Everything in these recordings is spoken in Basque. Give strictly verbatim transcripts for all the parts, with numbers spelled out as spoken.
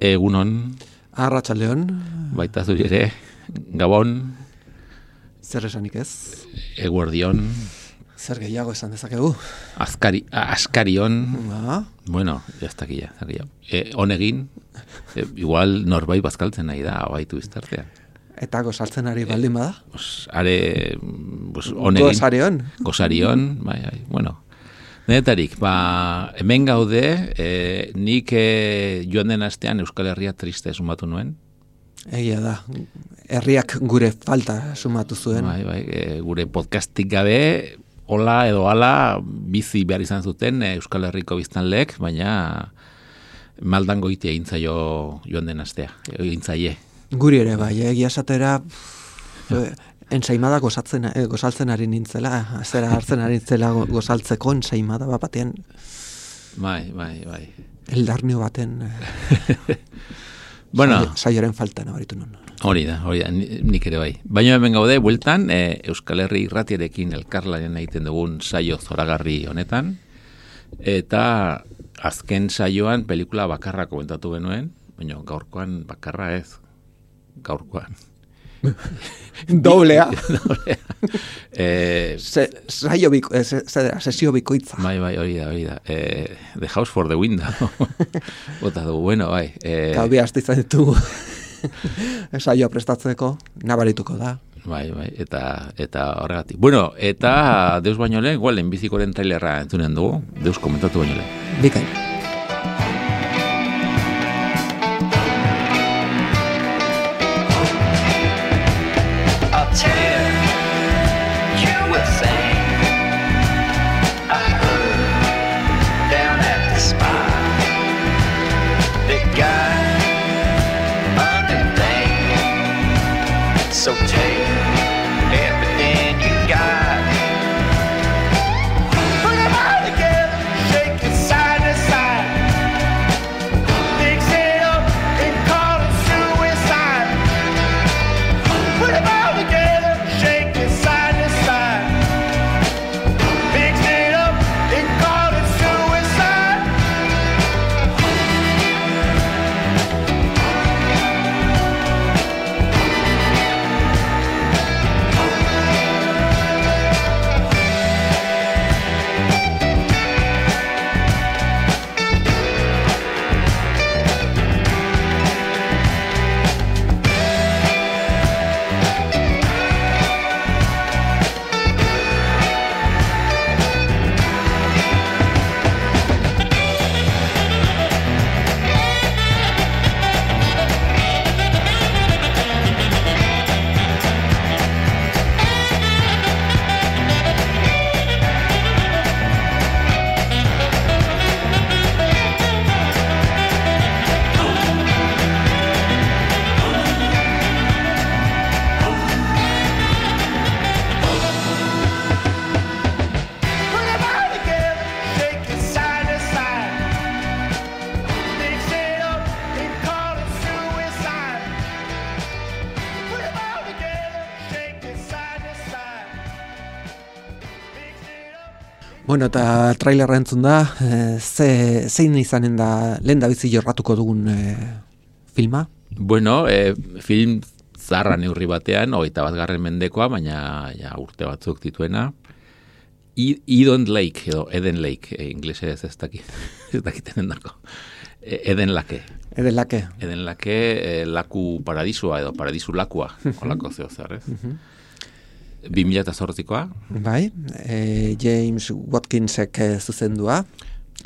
Egunon. Arratsaldeon. Baita zuri ere. Gabon. Zer esanik ez? Eguerdion. Zer gehiago esan dezakegu? Azkari, askarion. Ba. Bueno, ya está aquí ya. E, honegin. E, igual norbait bazkaltzen nahi da, abaitu iztartean. Eta gozaltzen ari baldin bada? E, pues, are, pues, honegin. Gozarion. Gozarion, bai, bai, bueno. Denetarik, ba, hemen gaude, e, nik e, joan den astean Euskal Herria triste sumatu nuen. Egia da, herriak gure falta sumatu zuen. Bai, bai, e, gure podcastik gabe, hola edo hala, bizi behar izan zuten e, Euskal Herriko biztanleek, baina maldan goiti egin zaio joan den astea, egin zaie. Guri ere, bai, egia esatera... Ensaimada gozatzen, eh, gozaltzen ari nintzela, zera hartzen ari nintzela gozaltzeko ensaimada bat batean. Bai, bai, bai. Eldarnio baten eh, bueno, saioren falta nabaritu nun. Hori da, hori da, nik ere bai. Baina hemen gaude, bueltan, eh, Euskal Herri irratiarekin elkarlanen egiten dugun saio zoragarri honetan, eta azken saioan pelikula bakarra komentatu genuen, baina gaurkoan bakarra ez, gaurkoan. Doblea. Doblea. eh, se, saio biko, eh, se, sesio bikoitza. Bai, bai, hori da, hori da. Eh, the house for the window. Bota du, bueno, bai. Eh, Gaubi hasti izan ditugu. Saioa prestatzeko, nabarituko da. Bai, bai, eta eta horregatik. Bueno, eta deus baino lehen, igual, enbizikoren trailerra entzunen dugu, deus komentatu baino lehen. Bikain. So take everything you got. Put them all together, shake it side to side. Mix it up and call it suicide. Put them all together, shake it side to side. Mix it up and call it suicide. Bueno, eta trailerra entzun da, e, ze, zein izanen da, lehen da bizi jorratuko dugun e, filma? Bueno, e, film zarra neurri batean, hogeita bat garren mendekoa, baina ja, urte batzuk dituena. Eden Lake, edo Eden Lake, e, inglesez ez dakit, ez dakiten dako. E, Eden Lake. Eden Lake. Eden Lake, e, laku paradisua, edo paradisu lakua, olako zeo zer, ez? bi mila zortzikoa. Bai, e, James Watkinsek e, zuzendua.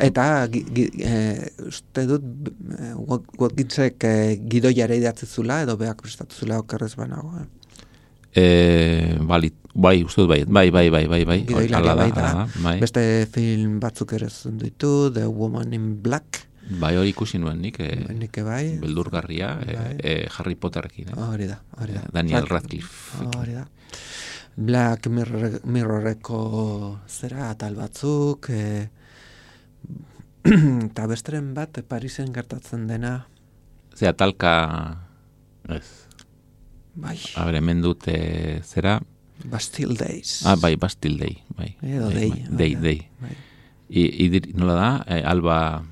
Eta, gi, gi, e, uste dut, e, Watkinsek e, gidoiare idatzi zula, edo beak prestatu zula okerrez banago. Eh? E, bali, bai, uste dut bai, bai, bai, bai, bai, bai. Gidoilaria bai da. Bai. Beste film batzuk ere zuen ditu, The Woman in Black. Bai, hori ikusi nuen nik, e, Nik bai. beldurgarria, e, Bai. e, Harry Potterrekin. Eh? Hori da, hori da. Daniel Frank- Radcliffe. Hori da. Black Mirror, Mirrorreko zera atal batzuk, e, eta besteren bat Parisen gertatzen dena, Zea, talka, ez, bai, a ber, hemen dut, e, zera, Bastille Days. ah, bai, Bastille Day, bai. Edo Bai, Day. bai, bai Day, da, Day. bai. I, idri, nola da, e, Alba,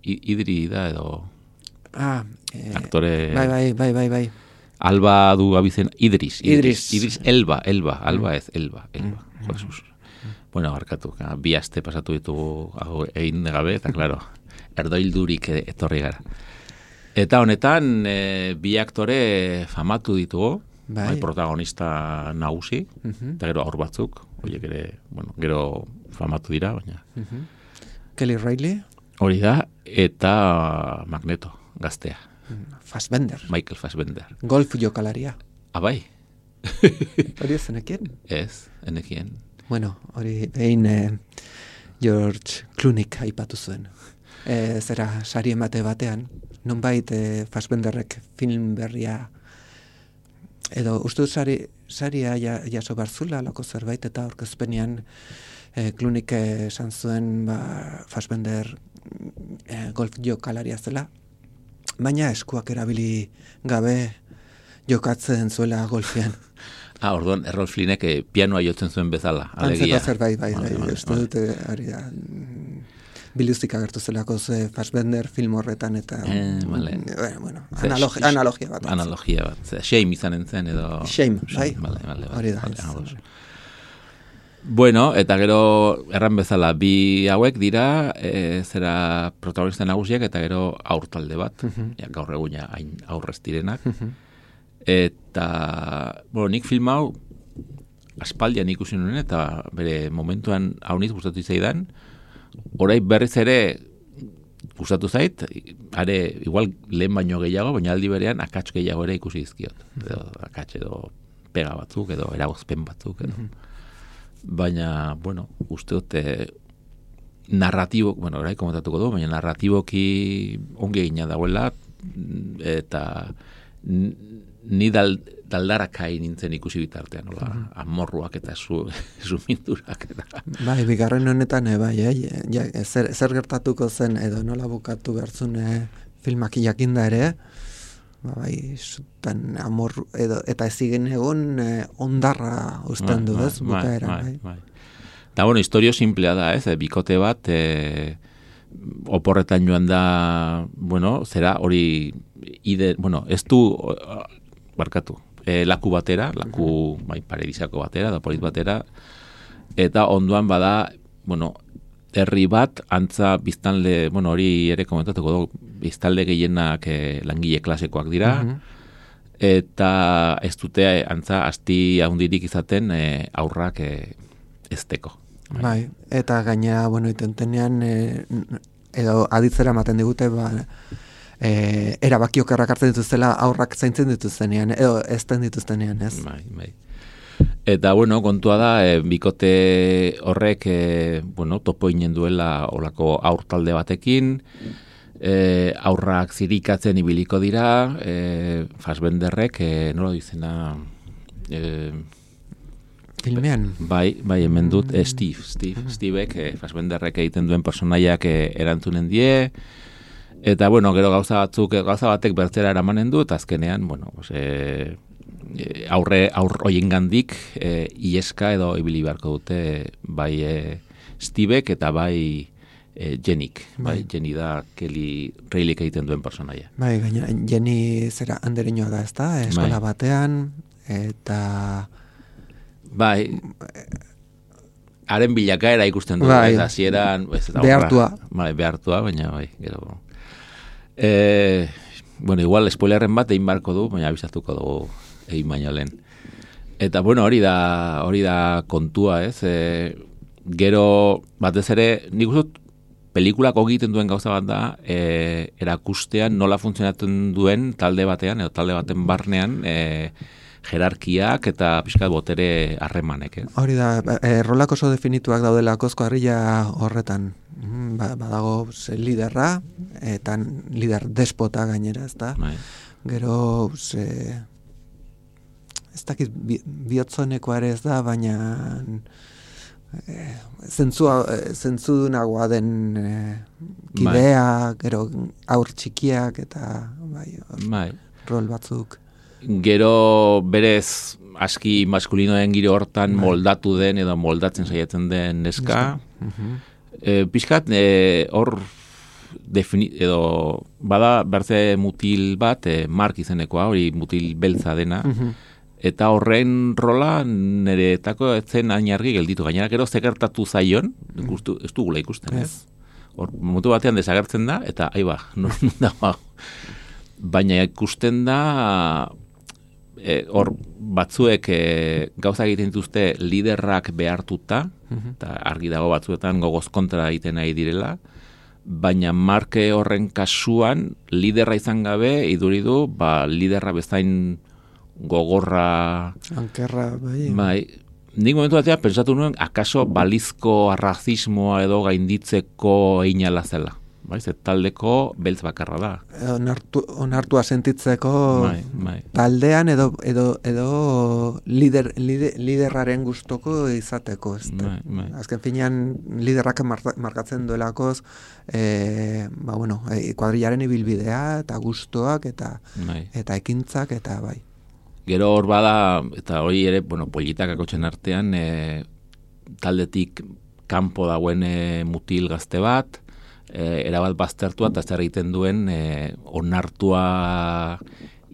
I, Idri da edo, Ah, eh, aktore, bai, bai, bai, bai, bai. Alba du abizen, Idris, Idris. Idris, Elba, Elba, Alba ez, Elba, Elba, Mm. Jesus. Bueno, barkatu, ka, bi aste pasatu ditugu hau egin gabe, eta claro, erdoildurik e- etorri gara. Eta honetan, e, bi aktore famatu ditugu, Bai. bai, protagonista nagusi, Mhm, eta gero aur batzuk, horiek ere, bueno, gero famatu dira, baina mhm. Kelly Reilly, hori da, eta Magneto, gaztea, Fassbender, Michael Fassbender. golf jokalaria. Ah, bai, Hori ez zenekien? ez, enekien. Bueno, hori behin eh, George Clooneyk aipatu zuen. E, zera, sari emate batean, nonbait eh, Fassbenderrek film berria, edo uste dut sari, saria ja, jaso barzula, lako zerbait, eta aurkezpenean eh, Clooneyk eh, esan zuen ba, Fassbender eh, golf jokalaria zela, baina eskuak erabili gabe jokatzen zuela golfean. Ah, orduan, Errol Flynnek eh, pianoa jotzen zuen bezala, alegia. Antzeko zerbait, bai, bai, Vale, vale, uste vale. dute, hori da, mm, biluzik agertu zelako ze Fassbender film horretan, eta, Eh, vale. bueno, bueno Ze- analogi, sh- analogia bat. Analogia bat. Ze, shame izanen zen edo... Shame, bai. Vale, vale, vale. Hori da, Vale, ez. ados. Bueno, eta gero erran bezala bi hauek dira, e, zera protagonista nagusiak eta gero aur talde bat, Mhm. ja, gaur eguna hain aurrez direnak. Mhm. Eta, bueno, nik film hau aspaldian ikusi nuen eta bere momentuan hauniz gustatu zaidan, orain berriz ere gustatu zait, are igual lehen baino gehiago, baina aldi berean akats gehiago ere ikusi dizkiot. Edo akats edo pega batzuk edo eragozpen batzuk edo. Baina, bueno, uste dute narratibo, bueno, orai komentatuko du, baina narratiboki ongi egina dagoela eta n- ni dal, daldarakai nintzen ikusi bitartean, nola, amorruak eta zu, sumindurak eta... Bai, bigarren honetan, e, bai, eh, ja, zer, zer gertatuko zen, edo nola bukatu behartzun eh, filmak jakinda ere, ba, bai, zutan amor, edo, eta ez zigen egon eh, ondarra usten du, ez, bukaeran, bai. bai. Eta, bueno, historio simplea da, ez, eh, bikote bat, e, oporretan joan da, bueno, zera hori, ide, bueno, ez du, o- barkatu, e, laku batera, laku, bai, paradisako batera, da polit batera, eta onduan bada, bueno, herri bat, antza biztanle, bueno, hori ere komentatuko dugu, biztanle gehienak e, langile klasekoak dira, Mhm. eta ez dute antza asti handirik izaten e, aurrak e, ezteko. Bai, eta gaina, bueno, itentenean, e, edo aditzera ematen digute, ba, e, erabaki okerrak hartzen dituztela aurrak zaintzen dituztenean, edo ezten dituztenean, ez? Bai, bai. Eta, bueno, kontua da, e, bikote horrek, e, bueno, topo inen duela olako aur talde batekin, e, aurrak zirikatzen ibiliko dira, e, Fassbenderrek, e, nola dizena, e, Filmean. bai, bai, hemen dut, e, Steve, Steve, Stevek, e, Fassbenderrek egiten duen personaiak e, erantzunen die, eta, bueno, gero gauza batzuk, gauza batek bertzera eramanen du, eta azkenean, bueno, pues, e, e, aurre, aur hoiengandik e, ieska edo ibili beharko dute bai e, Stevek eta bai e, Jennik, bai, Bai. Jenny da Kelly Reillyk egiten duen personaia. Bai, gaina, Jenny zera andereñoa da, ezta? Eskola Bai. batean, eta... Bai, haren bilakaera ikusten du, Bai. ez, hasieran, ez, eta Behartua. aurra- Bai, behartua, baina bai, gero... E, bueno, igual spoilerren bat egin barko du, baina abizatuko dugu egin baino lehen. Eta, bueno, hori da, hori da kontua, ez? E, gero, batez ere, nik uste dut, pelikulak egiten duen gauza bat da, e, erakustean nola funtzionatzen duen talde batean, edo talde baten barnean, e, jerarkiak eta pixkat botere harremanek, ez? Hori da, e, rolak oso definituak daudela kozko harria horretan. Ba, badago ze liderra, eta lider despota gainera, ez da? Bai. Gero, ze, ez dakit bi, bihotzonekoa ere ez da, baina e, zentzua, zentzudunagoa den e, kidea, gero aur txikiak, eta bai, Bai. rol batzuk. Gero berez aski maskulinoen giro hortan moldatu den edo moldatzen saiatzen den neska. Mhm. E, pixkat, e, hor defini, edo bada bertze mutil bat, e, Mark izenekoa, hori mutil beltza dena, Mhm. eta horren rola nireetako etzen hain argi gelditu. Gainera, gero zekertatu zaion, ikustu, ez dugula ikusten, ez? Hor, momentu batean desagertzen da, eta aiba, non dago. Baina ikusten da, e, hor batzuek e, gauza egiten dituzte liderrak behartuta, eta argi dago batzuetan gogoz kontra egiten nahi direla, baina Marke horren kasuan liderra izan gabe iduridu, ba, liderra bezain gogorra, Ankerra, bai. bai, nik momentu batean pentsatu nuen akaso balizko arrazismoa edo gainditzeko einala zela. Bai, ze taldeko beltz bakarra da. Onartu, onartua sentitzeko Bai, bai. taldean edo edo edo lider, lider liderraren gustoko izateko, ez da. Bai, bai. Azken finean liderrak marka- markatzen duelakoz eh ba bueno, e, kuadrillaren ibilbidea eta gustoak eta Bai. eta ekintzak eta bai. Gero hor bada, eta hori ere, bueno, politak akotxen artean, e, taldetik kanpo dagoen e, mutil gazte bat, e, erabat baztertua eta zer egiten duen e, onartua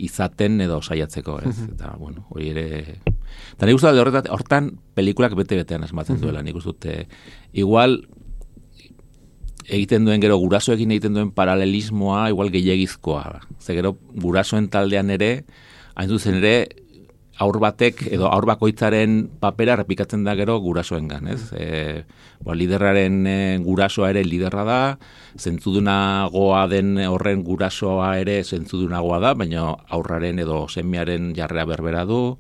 izaten edo saiatzeko, ez? Eta, bueno, hori ere... Eta nik uste dut horretat, hortan pelikulak bete-betean asmatzen duela, nik uste dut, e, igual egiten duen gero gurasoekin egiten duen paralelismoa igual gehiagizkoa da. Ze gero gurasoen taldean ere, hain zuzen ere, aur batek edo aur bakoitzaren papera repikatzen da gero gurasoengan, ez? E, bo, liderraren e, gurasoa ere liderra da, zentzudunagoa den horren gurasoa ere zentzudunagoa da, baina aurraren edo semiaren jarrera berbera du,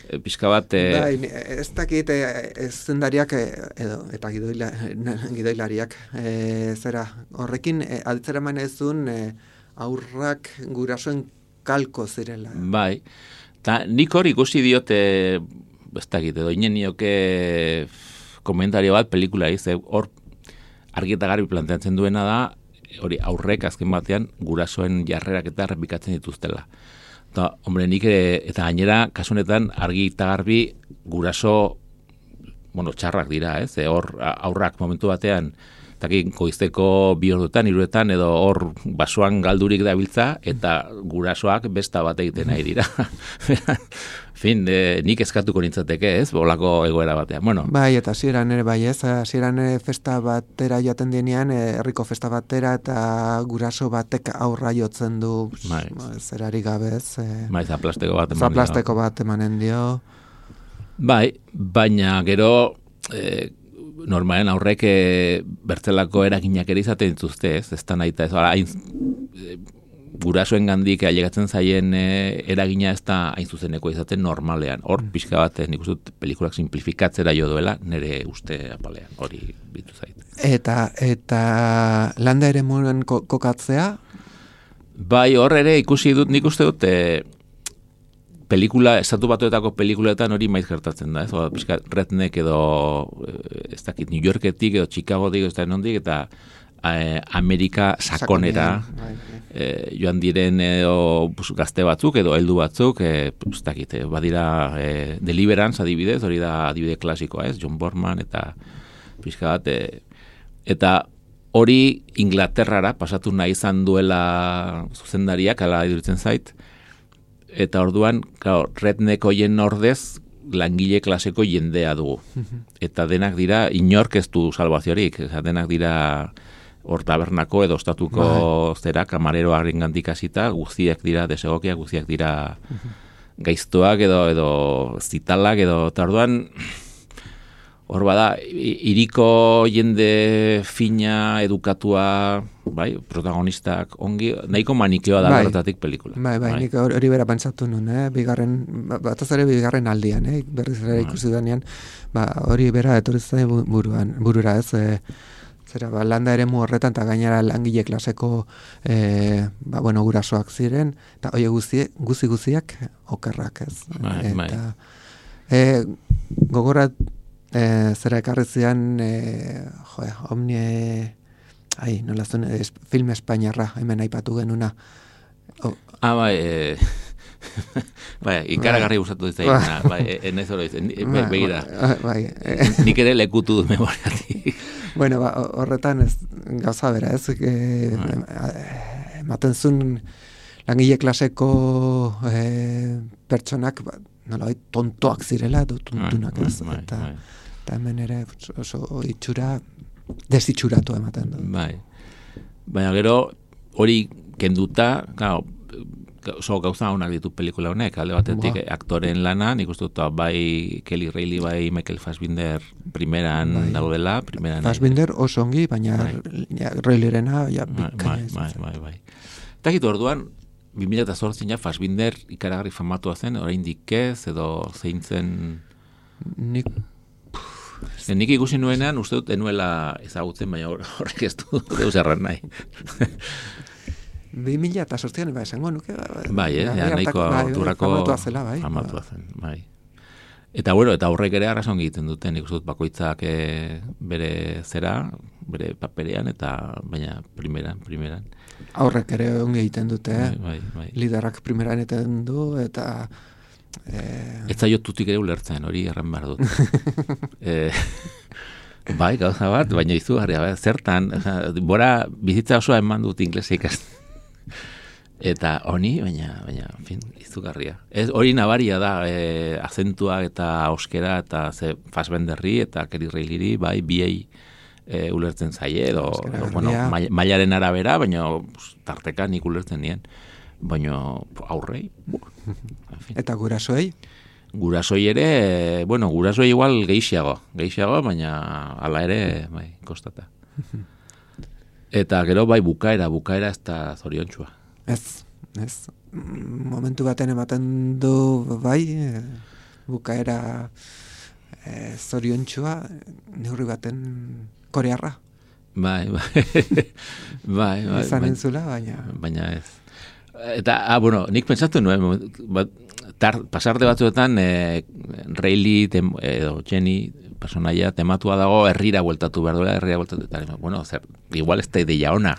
e, pixka bat... E, Bai, ez dakit e, ez zendariak e, edo, eta gidoila, gidoilariak e, zera, horrekin e, aditzera eman ezun e, aurrak gurasoen kalko zirela. Bai, eta nik hor ikusi diote, ez dakit, edo inen nioke komentario bat pelikula ze hor argi eta garbi planteatzen duena da, hori aurrek azken batean gurasoen jarrerak eta errepikatzen dituztela. Eta, hombre, nik ere, eta gainera, kasunetan argi eta garbi guraso, bueno, txarrak dira, ez? E, hor aurrak momentu batean, eta goizteko bi ordutan, hiruetan, edo hor basoan galdurik dabiltza, eta gurasoak besta bat egiten nahi dira. Fin, e, nik eskatuko nintzateke, ez? Bolako egoera batean. Bueno, Bai, eta hasieran ere bai, ez? Hasieran ere festa batera joaten denean, eh, herriko festa batera eta guraso batek aurra jotzen du, Bai. zerari gabe, ez? Eh, maiz aplasteko bat eman dio. zaplasteko bat emanen dio. Bai, baina gero e, normalen aurrek e, bertzelako eraginak ere izaten dituzte, ez? Ez da nahi eta ez, hain, e, gurasoen gandik ailegatzen zaien e, eragina ez da hain zuzeneko izaten normalean. Hor, pixka bat, nik uste dut pelikulak simplifikatzera jo duela, nire uste apalean, hori bitu zait. Eta, eta landa ere moren ko, kokatzea, Bai, hor ere ikusi dut, nik uste dut, e, pelikula, estatu batuetako pelikuletan hori maiz gertatzen da, ez? Oda, pixka, redneck edo, ez dakit, New Yorketik edo Chicagotik, ez da nondik, eta e, Amerika sakonera, bai, bai. e, joan diren edo pues, gazte batzuk edo heldu batzuk, e, ez dakit, e, badira e, Deliverance adibidez, hori da adibide klasikoa, ez? John Borman eta pixka bat, e, eta hori Inglaterrara pasatu nahi izan duela zuzendariak, ala iduritzen zait, eta orduan, claro, redneck hoien ordez langile klaseko jendea dugu. Eta denak dira, inork ez du salvaziorik, denak dira hor tabernako edo ostatuko zera, kamareroaren gandik hasita, guztiak dira desegokiak, guztiak dira gaiztoak edo edo zitalak edo, eta orduan hor bada, iriko jende fina, edukatua, bai, protagonistak ongi, nahiko manikeoa da horretatik pelikula. Bai, bai, nik hori bera pentsatu nun, eh? Bigarren, bataz ere bigarren aldian, eh? Berriz ere ikusi denean, ba, hori bera etorri zain buruan, burura ez, eh? Zera, ba, landa ere mu horretan, eta gainera langile klaseko, eh, ba, bueno, gurasoak ziren, eta oie guzi, guzi guziak okerrak ez. Bai, bai. Eta, eh, gogorat, eh, zera ekarri zian, eh, jo, omni, ai, nola zuen, es, film espainiarra, hemen aipatu genuna. Oh. Ah, bai, eh... bai, ikaragarri gustatu dizaina, bai, enez hori dizen, begira. Bai, nik ere lekutu du memoriatik. Bueno, ba, horretan ez gauza bera, ez? E, ematen zuen langile klaseko e, pertsonak, ba, nola, tontoak zirela, edo tontunak, ez? Eta, eta hemen ere oso itxura, desitxuratu ematen du. Bai. Baina gero, hori kenduta, claro, oso gauza honak ditu pelikula honek, alde batetik wow. Aktoren lana, nik uste dut bai Kelly Reilly, bai Michael Fassbinder primeran bai. Daudela, primeran. Fassbinder oso ongi, baina bai. Ja, Reillyrena ja bikaina bai, bai, bai, bai. Eta gitu orduan, bi mila zortzian ja Fassbinder ikaragarri famatua zen, oraindik ez, edo zein zen... Nik... Nik ikusi nuenean, uste dut enuela ezagutzen, baina horrek ez du deus erran nahi. Bi mila eta sortzian, ba, esango nuke. Bai, eh? Ja, nahiko auturako famatua zela, bai. Famatua zen, bai. Eta, bueno, eta horrek ere arrazon egiten duten, nik uste dut bakoitzak e, bere zera, bere paperean, eta baina primeran, primeran. Aurrek ere ongi egiten dute, eh? Bai, bai, bai. Liderak primeran egiten du, eta... Eh... Ez zaio tutik ere ulertzen, hori erran behar dut. eh, bai, gauza bat, baina izugarria, bai, zertan, bora bizitza osoa eman dut inglesa ikasten. Eta honi, baina, baina, en fin, izugarria. Ez, hori nabaria da, e, azentua eta auskera, eta ze Fassbenderri, eta Kelly Reillyri, bai, biei e, ulertzen zaie, edo, edo bueno, mailaren arabera, baina tarteka nik ulertzen nien. Baina aurrei. En fin. Eta gurasoei? Gurasoi ere, e, bueno, gurasoi igual gehiago, gehiago, baina hala ere, bai, kostata. Eta gero bai bukaera, bukaera ez da zoriontxua. Ez, ez. Momentu baten ematen du bai, bukaera e, zoriontxua, neurri baten korearra. Bai, bai. bai, bai. Izan entzula, baina... Baina ez. Eta, ah, bueno, nik pentsatu nuen, bat, tar, pasarte batzuetan, e, Reilly, tem, edo Jenny, personaia tematua dago herrira bueltatu behar duela, herrira bueltatu, eta, bueno, zer, igual ez da ideia ona,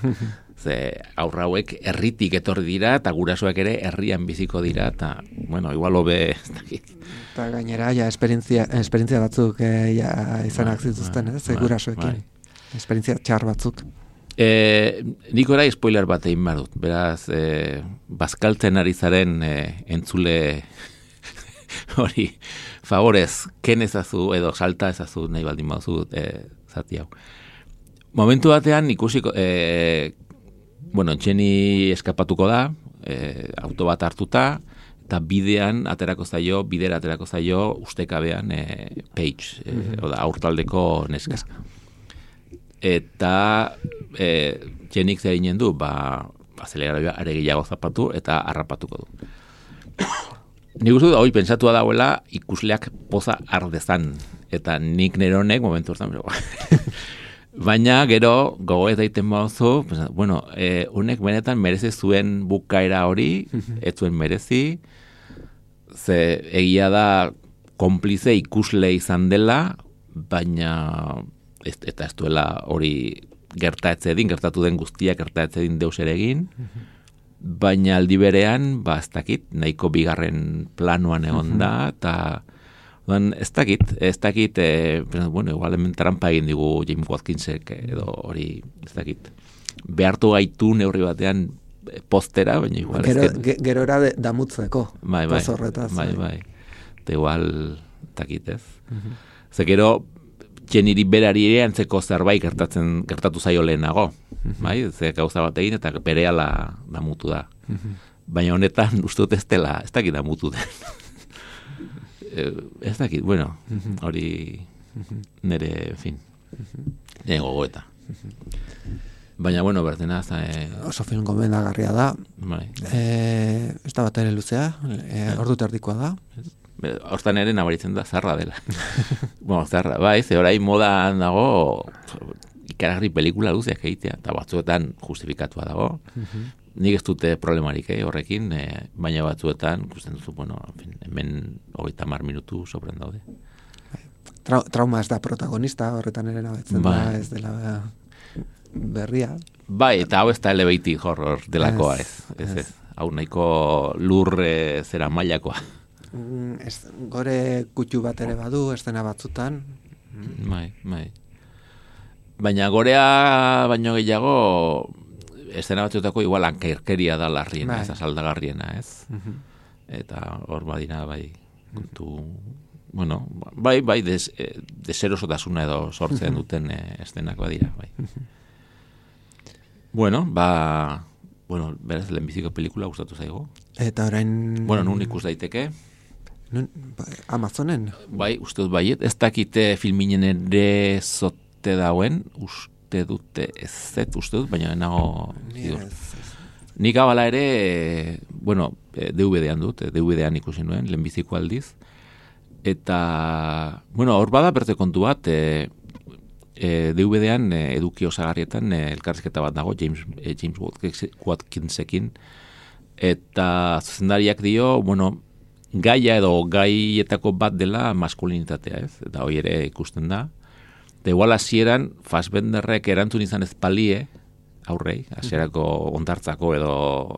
ze aurra hauek herritik etorri dira, eta gurasoak ere herrian biziko dira, eta, bueno, igual hobe, ez dakit. Eta gainera, ja, esperientzia, esperientzia batzuk eh, ja, izanak zituzten, ez, gurasoekin. Esperientzia txar batzuk. E, nik orai spoiler bat egin behar dut, beraz, e, bazkaltzen ari zaren e, entzule hori, favorez, ken ezazu edo salta ezazu nahi baldin baduzu e, zati hau. Momentu batean ikusiko, e, bueno, Jenny eskapatuko da, e, auto bat hartuta, eta bidean aterako zaio, bidera aterako zaio ustekabean e, Paige, e, mm-hmm. oda, aurtaldeko neska. Eta e, Jennyk zer eginen du, ba, azeleradoia are gehiago zapatu eta harrapatuko du. Nik uste dut, hori pentsatua dagoela ikusleak poza ardezan, eta nik neronek momentu hortan, baina gero gogo ez daiten bauzu, bueno, e, unek benetan merezi zuen bukaera hori, ez zuen merezi, ze egia da konplize ikusle izan dela, baina ez, eta ez duela hori gertaetzedin, gertatu den guztia gertaetzedin deus ere egin, baina aldi berean, ba, ez dakit, nahiko bigarren planuan egon da, eta ez dakit, ez dakit, e, bueno, igual hemen trampa egin digu James Watkinsek, edo hori, ez dakit, behartu gaitu neurri batean postera, baina igual... Gero, ge, gerora de, damutzeko, bai, bai, horretaz. Bai, bai, eta igual, ez dakit, ez. Uh-huh. Ze gero, Jennyri berari ere antzeko zerbait gertatzen gertatu zaio lehenago, uh-huh. bai, ze gauza bat egin eta berehala damutu da. Uh-huh. Baina honetan uste dut ez dela, ez dakit damutu den. ez dakit, bueno, hori nire, en fin, nire gogoeta. Baina, bueno, berdena, e... oso film gomendagarria da. Bai. E, ez da bat ere luzea, e, ordu terdikoa da. Hortan ere nabaritzen da zarra dela. bueno, zarra, bai, ze orain modan dago ikaragarri pelikula luzeak egitea, eta batzuetan justifikatua dago. Nik ez dute problemarik eh, horrekin, eh, baina batzuetan, ikusten duzu, bueno, en fin, hemen hogeita hamar minutu sobren daude. Trau, trauma ez da protagonista, horretan ere nabetzen bai. da, ez dela berria. Bai, eta hau ez da elevated horror delakoa, ez. Ez, ez. Hau nahiko lur e, zera mailakoa. Mm, ez, gore kutxu bat ere badu, estena batzutan. Bai, bai. Baina gorea baino gehiago, estena batzuetako igual ankerkeria da larriena, bai. Ez asaldagarriena, ez? Uh-huh. Eta hor badina, bai, kontu... Bueno, bai, bai, des, deserosotasuna edo sortzen duten eh, estenak badira, bai. Bueno, ba... Bueno, beraz, lehenbiziko pelikula gustatu zaigo. Eta orain... Bueno, nun ikus daiteke? Nun, Amazonen? Bai, uste dut baiet. Ez dakite filminen ere zote dauen, uste dute ez zet, uste dut, baina nago... Nik abala ere, bueno, D V D-an dut, D V D-an ikusi nuen, lehenbiziko aldiz. Eta, bueno, hor bada berte kontu bat, e, e, D V D-an e, eduki osagarrietan e, elkarrizketa bat dago, James, e, James Watkinsekin, eta zuzendariak dio, bueno, gaia edo gaietako bat dela maskulinitatea, ez? Eta hori ere ikusten da. Eta igual hasieran Fassbenderrek erantzun izan ez palie, aurrei, hasierako ondartzako edo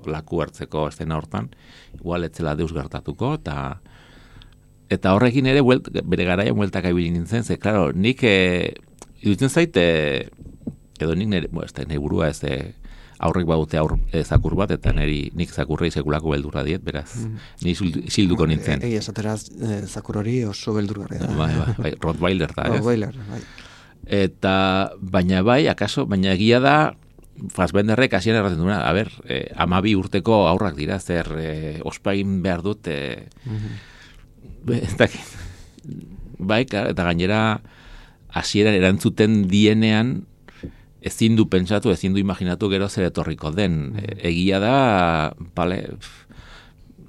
laku hartzeko estena hortan, igual etzela deus gertatuko, eta eta horrekin ere buelt, bere garaia bueltak ibili nintzen, ze, klaro, nik e, iruditzen zaite, edo nik nire, bueno, ez da, nire burua ez e, aurrek badute aur e, zakur bat, eta niri nik zakurrei sekulako beldurra diet, beraz, mm. ni silduko nintzen. Egi, esateraz, e, zakur hori oso beldurgarria da. Bai, bai, bai, Rottweiler da, ez? Rottweiler, bai. Eta, baina bai, akaso, baina egia da, Fassbenderrek hasieran erraten duena, a ber, eh, amabi urteko aurrak dira, zer eh, ospain behar dut, eh, mm-hmm. ez dakit, bai, eta gainera hasieran erantzuten dienean, ezin du pentsatu, ezin du imaginatu gero zer etorriko den. Mm-hmm. Egia da, bale,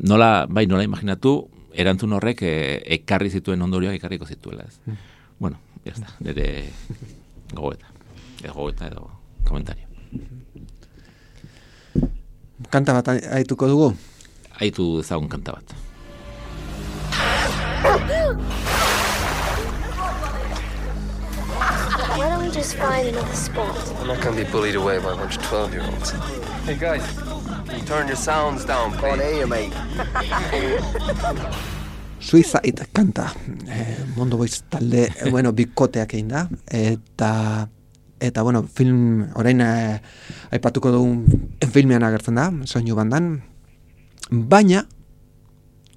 nola, bai, nola imaginatu, erantzun horrek eh, ekarri zituen ondorioak ekarriko zituela, ez. Mm. Bueno, ya está, nire gogoeta, edo gogoeta edo komentario. Kanta bat aituko dugu? Aitu ezagun kanta bat. Why don't we just find another spot? I'm not going to be bullied away by a bunch of twelve-year-olds. Hey, guys, can you turn your sounds down, please? On air, mate. Suicide kanta. Eh, Mondo Boys talde, eh, bueno, bikoteak egin da, eta... Eta, bueno, film, orain eh, aipatuko dugun filmean agertzen da, soinu bandan, baina,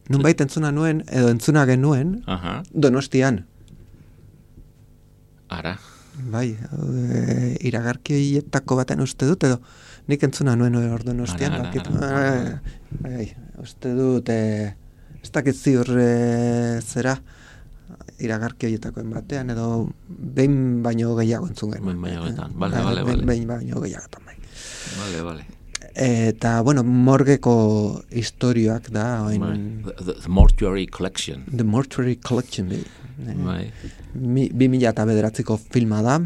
nunbait entzuna nuen, edo entzuna genuen, Aha. Donostian. Ara. Bai, e, iragarkietako baten uste dut, edo nik entzuna nuen hor Donostian. Ara, ara, Bakit, ara. Bai, bai, uste dut, e, ez dakit ziur e, zera, iragarki horietakoen batean, edo behin baino gehiago entzun genuen. Behin baino gehiagoetan, bale, bale, bale. Behin baino gehiagoetan, bai. Bale, bale. Eta, bueno, morgeko historioak da, oin... The, the, the Mortuary Collection. The Mortuary Collection, bai. Bai. Mi, bi mila eta bederatziko filma da,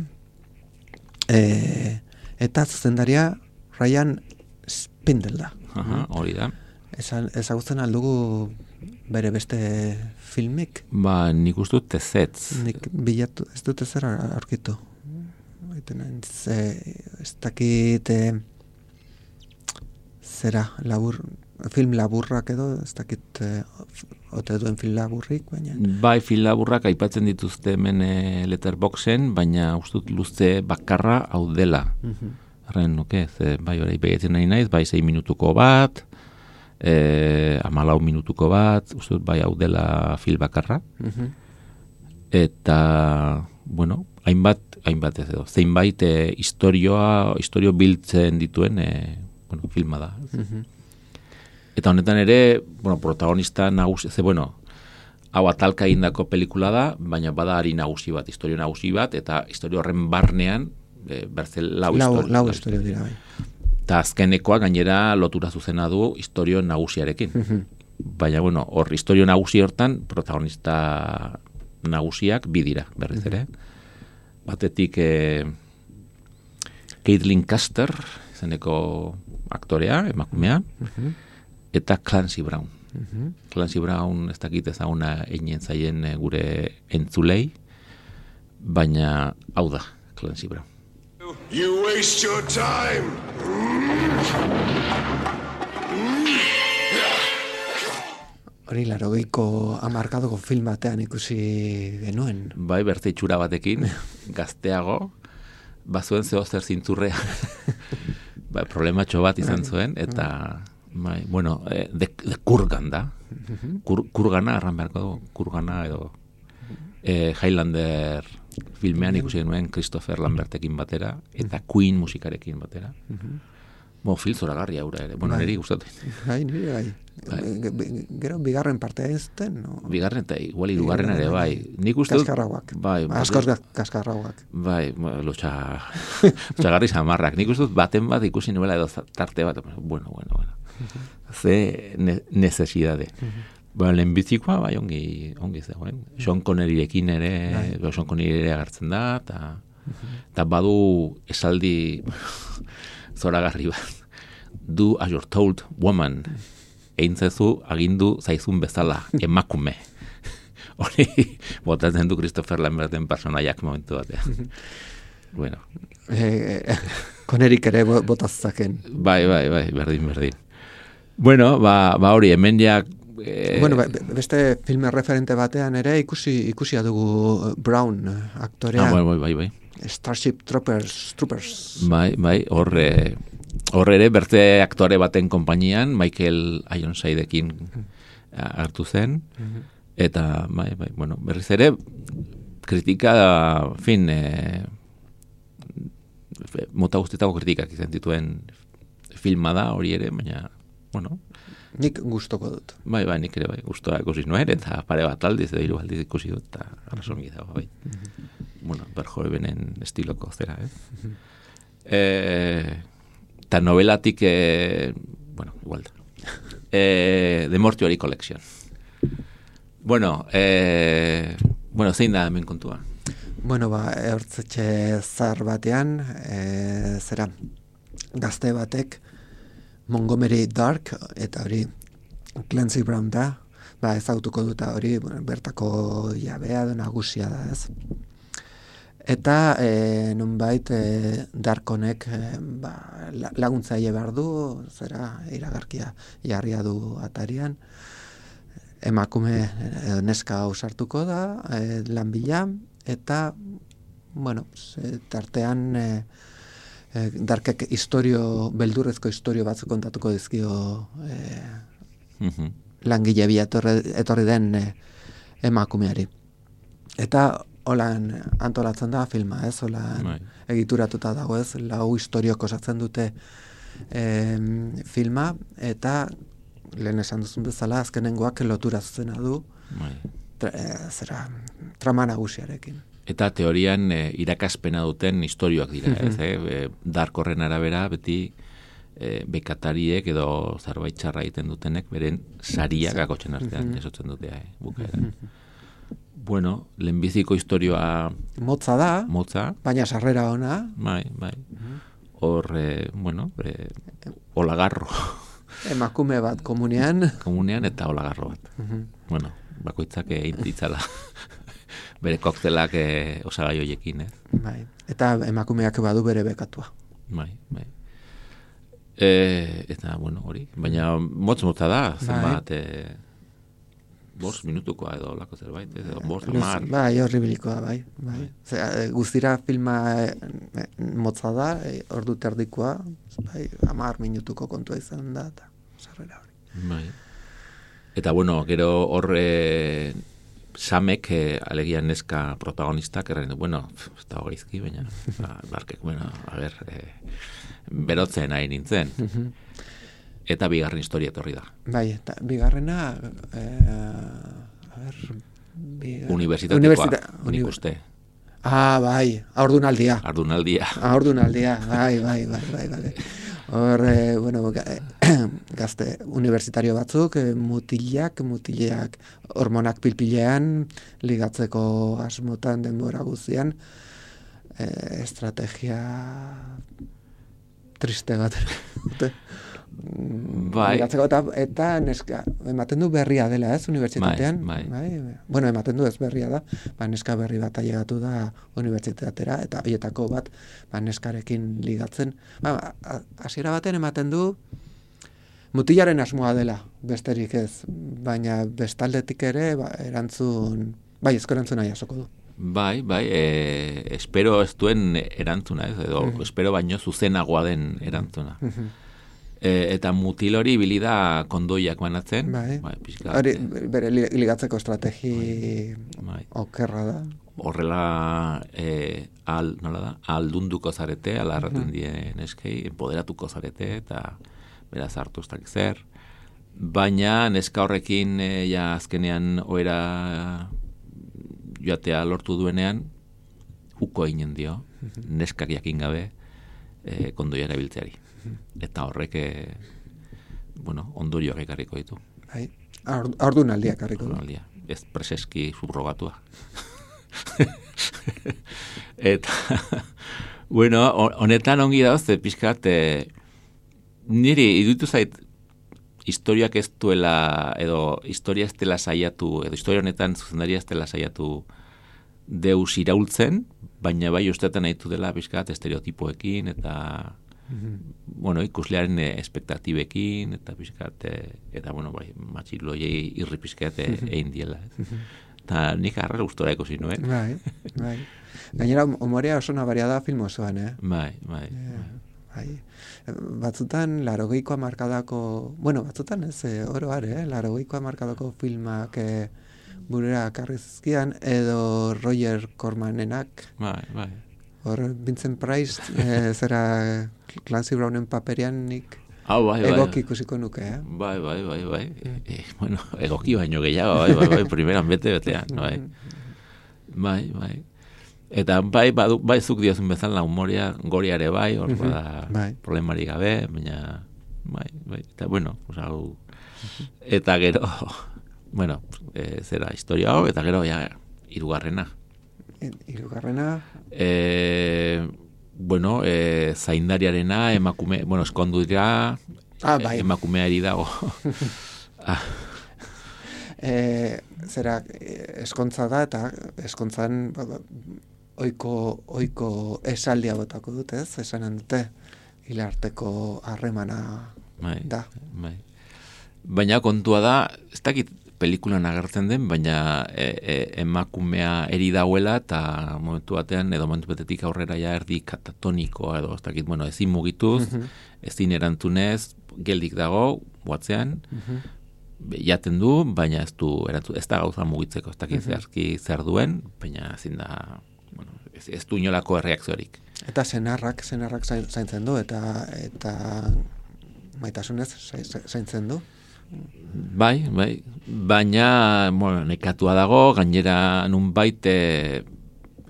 e, eta zuzendaria Ryan Spindle da. Aha, hori da. Ezagutzen aldugu bere beste filmik? Ba, nik uste dut tezetz. Nik bilatu, ez dut ezer aurkitu. Ez, ez dakit zera, labur, film laburrak edo, ez dakit ote duen film laburrik, baina... Bai, film laburrak aipatzen dituzte hemen e, Letterboxen, baina uste dut luze bakarra hau dela. Arren, nuke, ze, bai, hori begetzen nahi naiz, bai, sei minutuko bat, Eh, amalau minutuko bat, uste dut bai hau dela fil bakarra. Uh-huh. Eta, bueno, hainbat, hainbat ez edo, zeinbait eh, historioa, historio biltzen dituen eh, bueno, filma da. Uh-huh. Eta honetan ere, bueno, protagonista nagusi, ze, bueno, hau atalka egindako pelikula da, baina bada ari nagusi bat, historio nagusi bat, eta historio horren barnean, e, berze lau, lau, historio. lau historio dira, bai. Eta azkenekoa gainera lotura zuzena du historio nagusiarekin. Baina, bueno, hor historio nagusi hortan, protagonista nagusiak bi dira, berriz ere. Batetik eh, Caitlin Custer, izeneko aktorea, emakumea, eta Clancy Brown. Clancy Brown ez dakit ezaguna eginen zaien eh, gure entzulei, baina hau da, Clancy Brown. You waste your time. Hori larogeiko hamarkadoko film batean ikusi genuen. Bai, berte itxura batekin, gazteago, bazuen zeo zer zintzurrea. Bai, problematxo bat izan zuen, eta, bai, bueno, eh, de, de kurgan da. Kur, kurgana, arran beharko du, kurgana edo eh, Highlander filmean ikusi genuen Christopher Lambertekin batera, eta Queen musikarekin batera. Bo, fil zoragarri aura ere. Bueno, niri gustatu. Bai, niri bai. Gero bigarren partea ez zuten, no? Bigarren eta igual hirugarren ere, bai. Nik uste dut... Kaskarrauak. Bai. Askoz kaskarrauak. Bai, lotxa... lotxagarri samarrak. Nik uste dut baten bat ikusi nuela edo tarte bat. Bueno, bueno, bueno. Ze ne necesidade. Bueno, lehenbizikoa, bai, ongi, ongi zegoen. Sean Conneryrekin ere, Sean Connery ere agertzen da, eta eta badu esaldi zoragarri bat. Do as you're told, woman. Egin zezu, agindu zaizun bezala, emakume. Hori, botatzen du Christopher Lamberten personaiak momentu batean. Bueno. Eh, Conneryk ere botazzaken. Bai, bai, bai, berdin, berdin. Bueno, ba, ba hori, hemen jak... Eh, bueno, ba, beste filme referente batean ere ikusi ikusia dugu Brown aktorea. Ah, bai, bai, bai. Starship Troopers, Troopers. Bai, bai, horre... Horre ere, berte aktore baten konpainian, Michael Ironsideekin hartu zen, eta, bai, bai, bueno, berriz ere, kritika, fin, e, mota guztietako kritikak izan dituen filma da, hori ere, baina, bueno. Nik gustoko dut. Bai, bai, nik ere, bai, gustoa ikusi nuen, eta pare bat aldiz, edo hiru aldiz ikusi dut, eta arrasongi dago, bai. Bueno, Verhoevenen estiloko zera, eh? Eh... Eta novelatik, eh, bueno, igual da. Eh, The Mortuary Collection. Bueno, eh, bueno, zein da hemen kontua? Bueno, ba, hortzetxe zar batean, eh, zera, gazte batek, Montgomery Dark, eta hori Clancy Brown da, ba, ezagutuko duta hori, bueno, bertako jabea da, nagusia da, ez? Eta e, nonbait e, Darkonek e, ba, laguntzaile behar du, zera iragarkia jarria du atarian, emakume e, neska ausartuko da, e, lan bila, eta, bueno, e, tartean e, e, Darkek historio, beldurrezko historio batzuk kontatuko dizkio e, mm-hmm. langile bila etorri, etorri den e, emakumeari. Eta holan antolatzen da filma, ez? Holan Bai. egituratuta dago, ez? Lau historiok osatzen dute em, filma, eta lehen esan duzun bezala, azkenengoak lotura zuzena du, Bai. tra, e, zera, trama nagusiarekin. Eta teorian e, irakaspena duten historioak dira, ez? eh? Dark horren arabera, beti e, bekatariek edo zerbait txarra egiten dutenek, beren sariak akotzen artean, esotzen dute, eh? Bukaeran. Bueno, lehenbiziko historioa... Motza da, Motza. baina sarrera ona. Bai, bai. Hor, eh, bueno, eh, olagarro. Emakume bat komunean. Komunean eta olagarro bat. Bueno, bakoitzak egin ditzala. Bere koktelak eh, osagai hoiekin, ez? Bai. Eta emakumeak badu bere bekatua. Bai, bai. E, eta, bueno, hori. Baina motz-motza da, zenbat... Eh, bost minutukoa edo lako zerbait, edo bost amar. Bai, horribilikoa, bai. bai. Zera, guztira filma e, motza da, e, ordu terdikoa, bai, amar minutuko kontua izan da, eta sarrera hori. Bai. Eta, bueno, gero horre Samek, eh, alegia neska protagonistak, erren du, bueno, ez da hogeizki, baina, ba, barkek, bueno, a ber, eh, berotzen nahi nintzen. Eta bigarren historia etorri da. Bai, eta bigarrena e, a ber, bi, Unibertsitatekoa, universita- nik uni- uste. Ah, bai, haurdunaldia. Ardunaldia. Haurdunaldia, bai, bai, bai, bai, bai. Hor, eh, bueno, ga- gazte universitario batzuk, eh, mutilak, mutilak hormonak pilpilean, ligatzeko asmotan denbora guztian, eh, estrategia triste bat. dute. Bai. Ligatzeko eta, eta neska, ematen du berria dela, ez, unibertsitatean. Bai, bai. Bueno, ematen du ez berria da, ba, neska berri bat ailegatu da unibertsitatera, eta horietako bat, ba, neskarekin ligatzen. Ba, a- hasiera baten ematen du, mutilaren asmoa dela, besterik ez, baina bestaldetik ere, ba, erantzun, bai, ezko erantzuna jasoko du. Bai, bai, e, espero ez duen erantzuna, ez, edo espero baino zuzenagoa den erantzuna. E, eta mutil hori ibili da kondoiak banatzen. Bai. Bai, pixka, Hori, eh, bere li- ligatzeko estrategi bai. okerra da. Horrela e, al, nola da, aldunduko zarete, ala erraten die neskei, empoderatuko zarete, eta beraz hartu ez dakit zer. Baina neska horrekin e, ja azkenean oera joatea lortu duenean, uko eginen dio, neskak jakin gabe e, kondoia erabiltzeari. Eta horrek, e, bueno, ondorioak ekarriko ditu. Bai. Haur- Haurdunaldiak harriko du. Aldia, ez preseski subrogatua. Eta, bueno, honetan ongi dauz, pixkat, e, niri iruditu zait, historiak ez duela, edo historia ez dela saiatu, edo historia honetan zuzendaria ez dela saiatu deus iraultzen, baina bai ustetan nahitu dela pixkat estereotipoekin, eta bueno, ikuslearen eh, espektatibekin, eta pixkat, eh, eta bueno, bai, matxiloiei irri pixkat eh, egin diela. Eta nik arra gustora ikusi nuen. Bai, bai. Gainera, umorea oso nabaria da film osoan, eh? Bai, bai. Bai. Batzutan, larogeiko markadako, bueno, batzutan ez, eh, oro are, eh? Larogeiko markadako filmak eh, burera karrizkian, edo Roger Cormanenak, Bai, bai. hor Vincent Price, eh, zera Clancy Brownen paperian nik Hau, bai, bai. egoki ikusiko nuke, eh? Bai, bai, bai, bai. E, bueno, egoki baino gehiago, bai, bai, bai, primeran bete betean, bai. Bai, bai. Eta bai, badu, bai zuk diozun bezala umorea goriare bai, hor bada Bai. problemari gabe, baina bai, bai, eta bueno, pues, hau, eta gero, bueno, e, zera historia hau, eta gero ja, hirugarrena. Hirugarrena, E, bueno, e, zaindariarena, emakume, bueno, eskondu dira, Ah, bai. emakumeari dago. ah, e, zera eh, eskontza da, eta eskontzan ba, ba, oiko, oiko esaldia botako dut, ez? Esanen dute, hilarteko harremana bai, da. bai. Baina kontua da, ez dakit pelikulan agertzen den, baina e, e, emakumea eri dauela, eta momentu batean, edo momentu batetik aurrera ja erdi katatonikoa, edo ez dakit, bueno, ezin mugituz, ezin erantzunez, geldik dago, boatzean, jaten du, baina ez du erantzun, ez da gauza mugitzeko, ez dakit zehazki zer duen, baina ezin da, bueno, ez, ez du inolako erreakziorik. Eta senarrak, senarrak zain- zaintzen du, eta eta maitasunez zai- zaintzen du. Bai, bai, baina, bueno, nekatua dago, gainera nunbait e,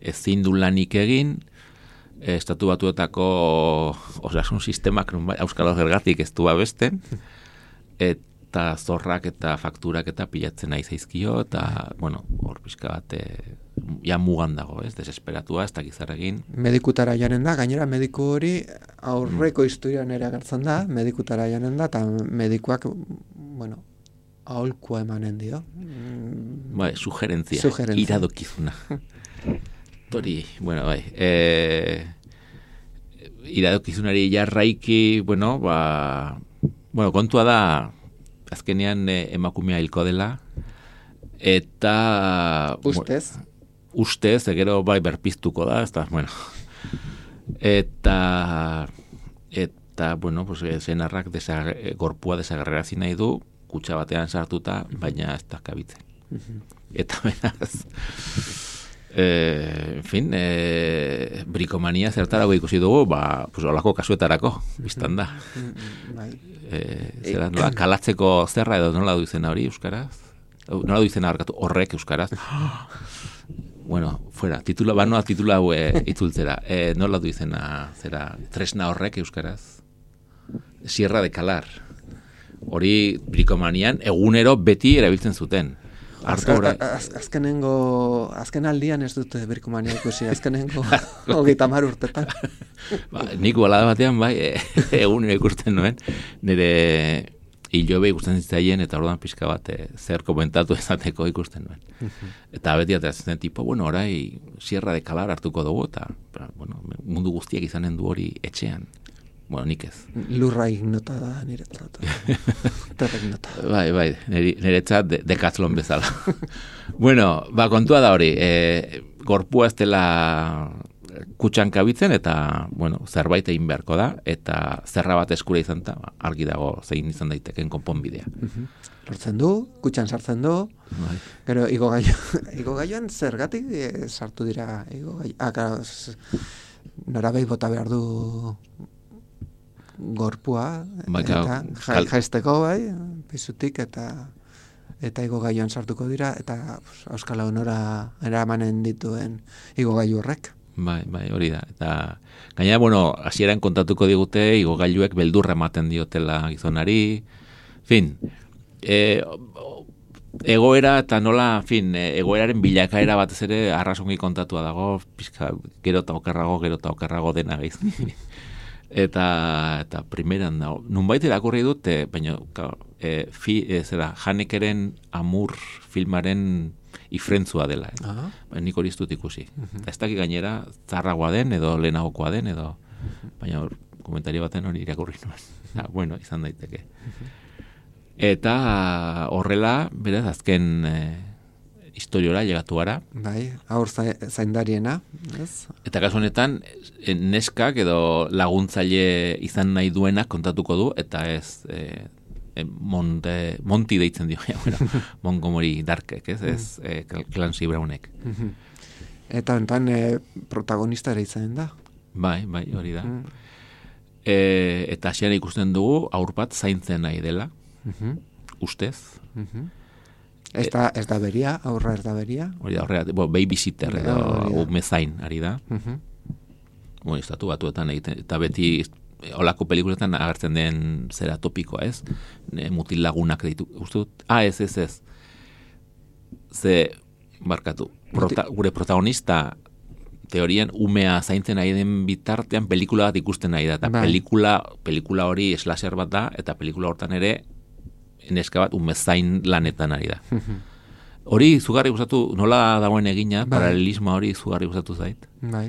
ezin du lanik egin, e, estatu batuetako osasun sistemak nunbait auskalo zergatik ez du babesten, eta zorrak eta fakturak eta pilatzen nahi zaizkio, eta, bueno, hor pixka bat, e, ja mugan dago, ez, desesperatua, ez dakiz zer egin. Medikutara janen da, gainera mediku hori aurreko historian ere agertzen da, medikutara janen da, eta medikuak, bueno, aholkua emanen dio. Mm, Bai, sugerentzia, Sugerentzia. iradokizuna. Tori, bueno, bai, e, iradokizunari jarraiki, bueno, ba, bueno, kontua da, azkenean e, emakumea hilko dela, eta... Ustez? Bueno, ustez, gero bai berpiztuko da, ez da, bueno, eta, eta, bueno, pues, senarrak desag, gorpua desagerrarazi nahi du, kutxa batean sartuta, baina ez da kabitzen. Eta beraz, eh, en fin, eh, brikomania zertarago ikusi dugu, ba, pues, olako kasuetarako, biztan da. Bai. Eh, zera, nola, kalatzeko zerra edo nola du izena hori, euskaraz? nola du izena harkatu, horrek euskaraz. Bueno, fuera, titula, banoa titula hau e, itzultzera. E, nola du izena, zera, tresna horrek euskaraz? Sierra de Calar. Hori brikomanian egunero beti erabiltzen zuten. Arto Azka, az, azkenengo, azken aldian ez dute brikomania ikusi, azkenengo hogeita hamar urtetan. Ba, nik balada batean, bai, e, egunero ikusten nuen, nire hilobe ikusten zitzaien, eta orduan pixka bat e, zer komentatu ezateko ikusten nuen. Eta beti ateratzen zen tipo, bueno, orai Sierra de Calar hartuko dugu, eta bueno, mundu guztiak izanen du hori etxean. Bueno, nik ez. Lurra ignota da niretzat. Terra ignota. Bai, bai, niretzat de, dekatzlon bezala. Bueno, ba, kontua da hori, e, gorpua ez dela kutxan kabitzen, eta, bueno, zerbait egin beharko da, eta zerra bat eskura izan da, argi dago zein izan daiteken konponbidea. Lortzen du, kutxan sartzen du, bai. Gero, igo gaio, igo gaioan zergatik e, sartu dira, igo gaio, ah, claro, norabei bota behar du gorpua, bai, eta ja, jaisteko bai, pizutik, eta eta igo gaioan sartuko dira, eta pues, Euskal Honora eramanen dituen igo gailu horrek. Bai, bai, hori da. Eta gainera, bueno, hasieran kontatuko digute igogailuek beldurra ematen diotela gizonari. Fin, e, egoera eta nola, fin, egoeraren bilakaera batez ere arrasongi kontatua dago, pizka, gero eta okerrago, gero eta okerrago dena gaiz. Eta, eta primeran da, nunbait irakurri dut, e, baina, e, fi, e, zera, Hanekeren Amur filmaren ifrentzua dela. Eh? Uh -huh. Nik hori ez dut ikusi. Uh -huh. Ez dakik gainera, zarragoa den, edo lehenagokoa den, edo, uh -huh. baina komentario baten hori irakurri nuen. Ja, bueno, izan daiteke. Uh -huh. Eta horrela, beraz, azken e, historiora llegatu gara. Bai, aur zaindariena, ez? Eta kasu honetan, neskak edo laguntzaile izan nahi duenak kontatuko du, eta ez e, e, monte, Monty deitzen dio, ja, bueno, Montgomery Darkek, ez, ez e, Clancy Brownek. Eta enten e, protagonista ere izan da. Bai, bai, hori da. Mm. E, eta hasiera ikusten dugu, aur bat zaintzen nahi dela, mm-hmm. ustez. Mm-hmm. Ez da, ez da beria, aurra ez da beria. Hori da, horrega, bo, babysitter edo umezain, ari da. Uh-huh. Bueno, estatu batuetan egiten, eta beti olako pelikuletan agertzen den zera topikoa, ez? Ne, mutil lagunak ditu, uste dut? Ah, ez, ez, ez. Ze, barkatu, prota, gure protagonista teorian umea zaintzen nahi den bitartean pelikula bat ikusten nahi da, eta bai. pelikula, pelikula hori slasher bat da, eta pelikula hortan ere neska bat umezain lanetan ari da. Hori zugarri gustatu, nola dagoen egina, bai. Paralelismo hori zugarri gustatu zait. Bai.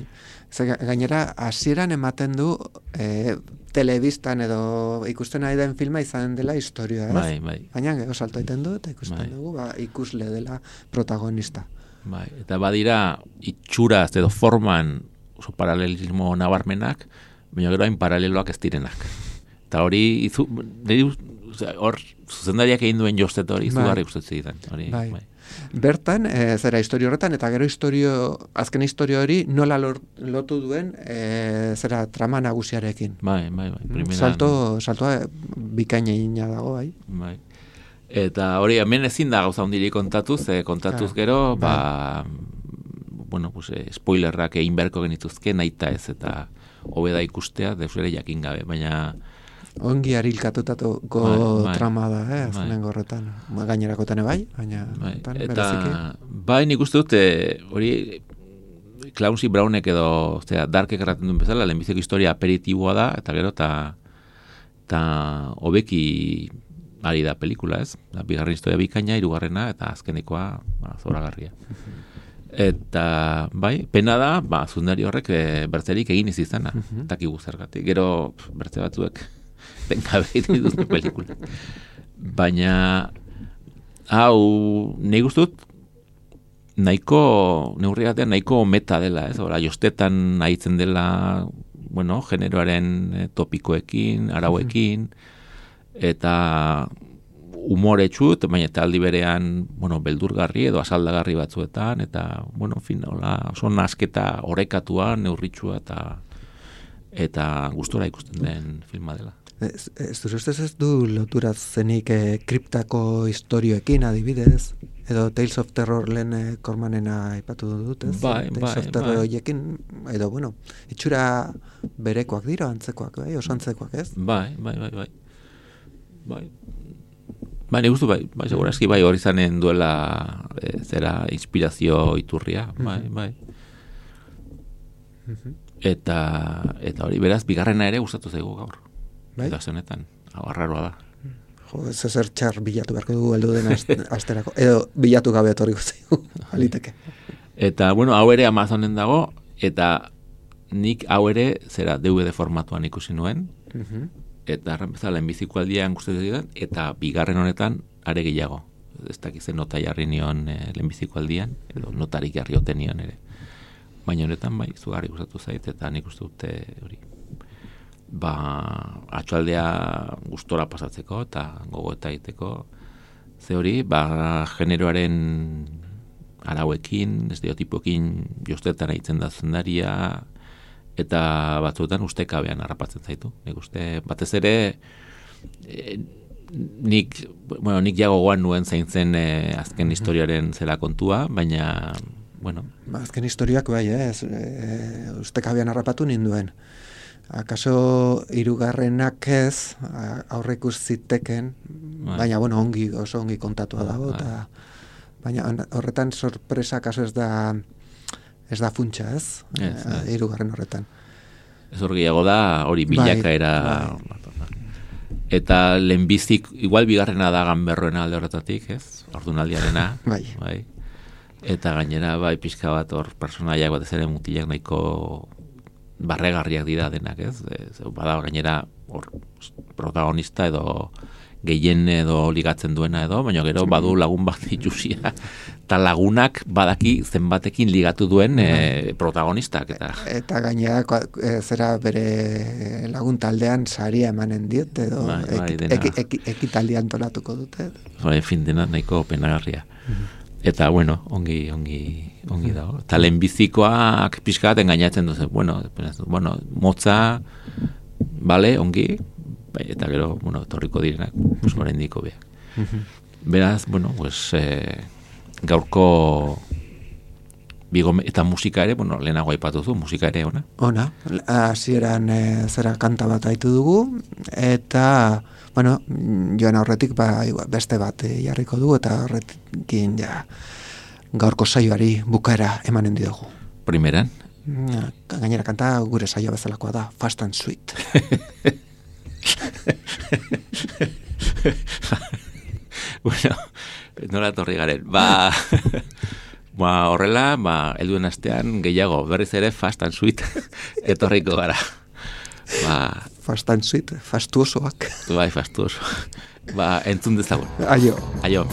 Zer, gainera, hasieran ematen du e, telebistan edo ikusten nahi den filma izan dela historia, ez? Bai, bai. Baina gero salto egiten du eta ikusten bai. dugu ba, ikusle dela protagonista. Bai, eta badira itxuraz edo forman oso paralelismo nabarmenak, baina gero hain paraleloak ez direnak. Eta hori, izu, hor, zuzendariak egin duen jostet hori, izugarri bai. Gustatzen zidan. Hori, bai. bai. Bertan, e, zera historio horretan, eta gero historio, azken historio hori nola lor, lotu duen e, zera trama nagusiarekin. Bai, bai, bai. Primeran, Salto, saltoa bikaina egina dago, bai. Bai. Eta hori, hemen ezin da gauza hundirik kontatuz, eh, kontatuz claro. gero, ba, bueno, pues, eh, spoilerrak egin beharko genituzke, nahita ez, eta hobeda ikustea, deusere jakin gabe, baina ongi arilkatutako bai, bai. trama da, eh, azkenengo horretan. Gainerakotan bai, baina bai. Eta bereziki. bai, nik uste dut, hori Clancy Brownek edo, ostia, Darkek erraten duen bezala, lehenbizeko historia aperitiboa da, eta gero, eta eta hobeki ari da pelikula, ez? Da, bigarren historia bikaina, hirugarrena eta azkenekoa ba, zoragarria. Eta, bai, pena da, ba, zundari horrek e, bertzerik egin ez izana, uh-huh. takigu zergatik. Gero, pf, bertze batzuek tenkabe dituzte pelikula. Baina, hau, nahi guztut, nahiko, neurri batean, nahiko meta dela, ez? Ora, jostetan nahitzen dela, bueno, generoaren e, topikoekin, arauekin, eta umoretsu, baina eta aldi berean, bueno, beldurgarri edo asaldagarri batzuetan, eta, bueno, fin, hola, oso nasketa orekatua, neurritxua, eta eta gustora ikusten den filma dela. Ez, ez, ez, ez du lotura zenik eh, kriptako historioekin adibidez? Edo Tales of Terror lehen eh, Kormanena aipatu dut, ez? Bai, Tales bai, of Terror bai. horiekin, edo, bueno, itxura berekoak dira, antzekoak, bai, oso antzekoak, ez? Bai, bai, bai, bai. Bai. Bai, nik uste, bai, bai, segurazki, bai, hori zanen duela e, zera inspirazio iturria, bai, bai. Eta, eta hori, beraz, bigarrena ere gustatu zaigu gaur. Bai? Eta zenetan, hau arraroa da. Jo, ez ezer txar bilatu beharko dugu heldu den ast- asterako. Edo bilatu gabe etorriko zaigu, aliteke. Eta, bueno, hau ere Amazonen dago, eta nik hau ere, zera, D V D formatuan ikusi nuen, eta erran bezala lehenbiziko aldian gustatzen zidan, eta bigarren honetan are gehiago. Ez dakizen nota jarri nion e, lehenbiziko aldian, edo notarik jarri oten nion ere. Baina honetan bai, zugarri gustatu zait, eta nik uste dute hori. Ba, atxaldea gustora pasatzeko, eta gogo eta egiteko, ze hori, ba, generoaren arauekin, estereotipoekin jostetan egiten da zendaria, eta batzuetan ustekabean harrapatzen zaitu. Nik uste, batez ere, e, nik, bueno, nik ja gogoan nuen zaintzen e, azken historiaren zela kontua, baina, bueno. Ba, azken historiak bai, eh? ez, e, ustekabean harrapatu ninduen. Akaso hirugarrenak ez, aurreikus ziteken, bai. baina, bueno, ongi, oso ongi kontatua dago, eta, baina horretan sorpresa akaso ez da, ez da funtsa, ez? Ez, ez. Hirugarren horretan. Ez hor gehiago da, hori bilakaera... Bai, Eta lehenbizik, igual bigarrena da ganberroena alde horretatik, ez? Ordunaldiarena. Bai. Bai. Eta gainera, bai, pixka bat hor personaiak batez ere mutilak nahiko barregarriak dira denak, ez? Ez bada gainera hor protagonista edo gehien edo ligatzen duena edo, baina gero badu lagun bat itusia, eta lagunak badaki zenbatekin ligatu duen e, protagonistak. Eta eta gainera e, zera bere lagun taldean saria emanen diet, edo bai, bai, eki, dena. eki, eki, ekitaldia antolatuko dute. bai, fin dena nahiko penagarria. Eta, bueno, ongi, ongi, ongi dago. Eta lehenbizikoak pixka bat engainatzen duzen, bueno, bueno, motza, bale, ongi, bai, eta gero, bueno, torriko direnak, pues, oraindiko beak. Beraz, bueno, pues, eh, gaurko bigome, eta musika ere, bueno, lehenago aipatu zu, musika ere, ona? Ona, hasieran e, zera kanta bat aitu dugu, eta, bueno, joan aurretik ba, igual, beste bat e, jarriko dugu, eta horrekin ja, gaurko saioari bukaera emanen diogu. Primeran? Ja, gainera kanta gure saio bezalakoa da, Fast and Sweet. Bueno, nola torri garen. Ba, ba horrela, ba, helduen astean gehiago, berriz ere Fast and Sweet etorriko gara. Ba, Fast and Sweet, fastuosoak. bai, fastuoso. Ba, entzun dezagun. Aio. Aio.